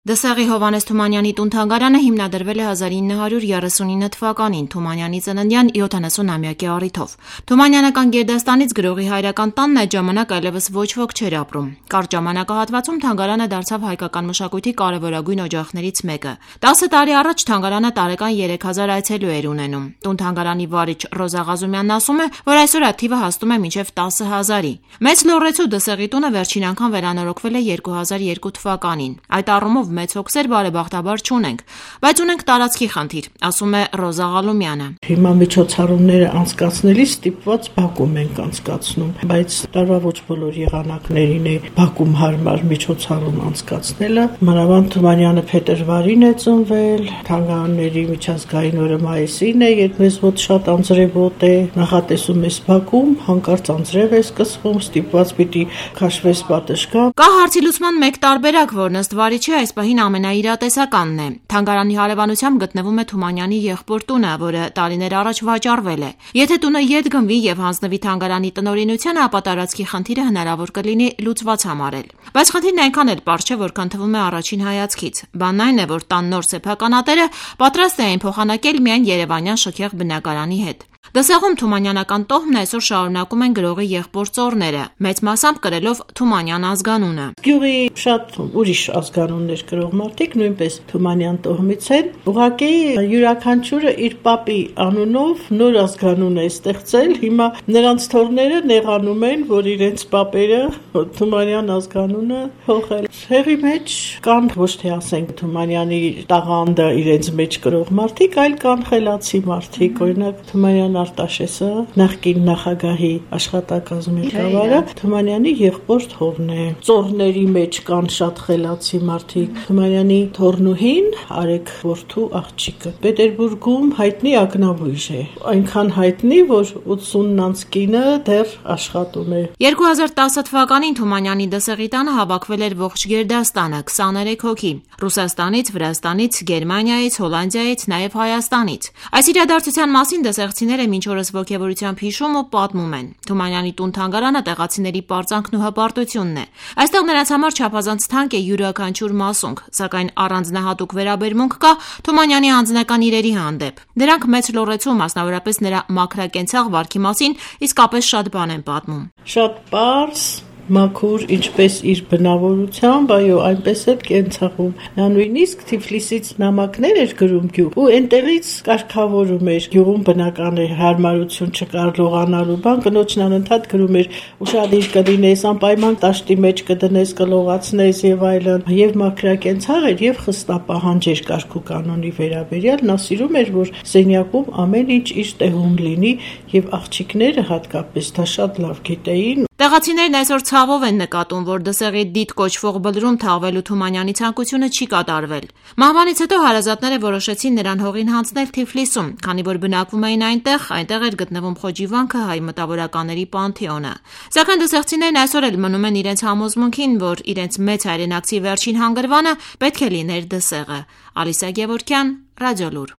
Դսեղի Հովհաննես Թումանյանի տուն-թանգարանը հիմնադրվել է 1939 թվականին Թումանյանի ծննդյան 70-ամյակի առիթով։ Թումանյանական գերդաստանից գրողի հայրական տանն այդ ժամանակ այլևս ոչ ոք չէր ապրում։ Կարճ ժամանակահատվածում թանգարանը դարձավ հայկական մշակույթի կարևորագույն օջախներից մեկը։ 10 տարի առաջ թանգարանը տարեկան 3000 այցելու էր ունենում։ Տուն-թանգարանի վարիչ Ռոզա Ղազումյանն ասում է, որ այսօր այդ թիվը հասնում է մինչև 10,000-ի։ Մեծ լոռեցու Դսեղի տունը վերջին անգամ վերանորոգվել է 2002 թվականին։ Այդ առումով մեծ հոգսեր բարեբախտաբար չունենք, բայց ունենք տարածքի խնդիր, ասում է Ռոզա Ղալումյանը։ Հիմա միջոցառումները անցկացնելիս ստիպված Բաքվում ենք անցկացնում, բայց տարվա ոչ բոլոր եղանակներին է Բաքվում հարմար միջոցառում անցկացնելը։ Մանավանդ Թումանյանը փետրվարին է ծնվել, թանգարանների միջազգային օրը մայիսին է, երբ մեզ մոտ շատ անձրևոտ է, նախատեսում ես Բաքվում, հանկարծ անձրև է սկսվում, ստիպված պիտի քաշվես պատշգամբ։ Կա հարցի լուծման մեկ տարբերակ, որն ըստ վարիչի այս պահին ամենաիրատեսականն է։ Թանգարանի հարևանությամբ գտնվում է Թումանյանի եղբոր տունը, որը տարիներ առաջ վաճառվել է։ Եթե տունը ետ գնվի եւ հանձնվի թանգարանի տնօրինությանը, ապա տարածքի խնդիրը հնարավոր կլինի լուծված համարել։ Բայց խնդիրն այնքան էլ պարզ չէ, որքան թվում է առաջին հայացքից։ Բանն այն է, որ տան նոր սեփականատերը պատրաստ է այն փոխանակել միայն երևանյան շքեղ բնակարանի հետ։ Դսեղում թումանյանական տոհմն այսօր շարունակում են գրողի եղբոր ծոռները, մեծ մասամբ կրելով Թումանյան ազգանունը։ Գյուղի շատ ուրիշ ազգանուններ գրող մարդիկ նույնպես Թումանյան տոհմից են։ Ուղղակի յուրաքանչյուրը իր պապի անունով նոր ազգանուն է ստեղծել։ Հիմա նրանց թոռները նեղանում են, որ իրենց պապերը Թումանյան ազգանունը փոխել։ Հեղի մեջ կան ոչ թե ասենք Թումանյանի տաղանդը իրենց մեջ գրող մարդիկ, այլ կան խելացի մարդիկ, օրինակ Թումանյան Արտաշեսը, նախկին նախագահի աշխատակազմի ղեկավարը, Թումանյանի եղբոր թոռն է։ Ծոռների մեջ կան շատ խելացի մարդիկ։ Թումանյանի թոռնուհին Արեգ որդու աղջիկը Պետերբուրգում հայտնի ակնաբույժ է, այնքան հայտնի, որ 80-անց կինը դեռ աշխատում է։ 2010 թվականին Թումանյանի Դսեղի տանը հավաքվել էր ողջ գերդաստանը, 23 հոգի՝ Ռուսաստանից, Վրաստանից, Գերմանիայից, Հոլանդիայից, նաև Հայաստանից։ Այս իրադարձության մասին դսեղցիները մինչ օրս ոգևորությամբ հիշում ու պատմում են։ Թումանյանի տուն-թանգարանը տեղացիների պարծանքն ու հպարտությունն է։ Այստեղ նրանց համար չափազանց թանկ է յուրաքանչյուր մասունք, սակայն առանձնահատուկ վերաբերմունք կա Թումանյանի անձնական իրերի հանդեպ։ Դրանք մեծ լոռեցու, մասնավորապես նրա մաքրակենցաղ վարքի մասին իսկապես շատ բան են պատմում։ Շատ պարզ, մաքուր, ինչպես իր բնավորությամբ, այո, այնպես էլ կենցաղում։ Նա նույնիսկ Թիֆլիսից նամակներ էր գրում գյուղ ու այնտեղից կարգավորում էր գյուղում բնական էր հարմարություն չկար լողանալու բան, կնոջն անընդհատ գրում էր ուշադիր կլինես, անպայման տաշտի մեջ կդնես, կլողացնես եւ այլն, եւ մաքրակենցաղ էր եւ խստապահանջ էր կարգ ու կանոնի վերաբերյալ, նա սիրում էր, որ սենյակում ամեն ինչ իր տեղում լինի եւ աղջիկները հատկապես դա շատ լավ գիտեին։ Տեղացիներն այսօր ցավով են նկատում, որ Դսեղի դիտ կոչվող բլրում թաղվելու Թումանյանի ցանկությունը չի կատարվել։ Մահվանից հետո հարազատները որոշեցին նրան հողին հանձնել Թիֆլիսում, քանի որ բնակվում էին այնտեղ էր գտնվում Խոջիվանքը հայ մտավորականների պանթեոնը։ Սակայն դսեղցիներն այսօր էլ մնում են իրենց համոզմունքին, որ իրենց մեծ հայրենակցի վերջին հանգրվանը պետք է լիներ Դսեղը։ Ալիսա Գևորգյան, Ռադիոլուր։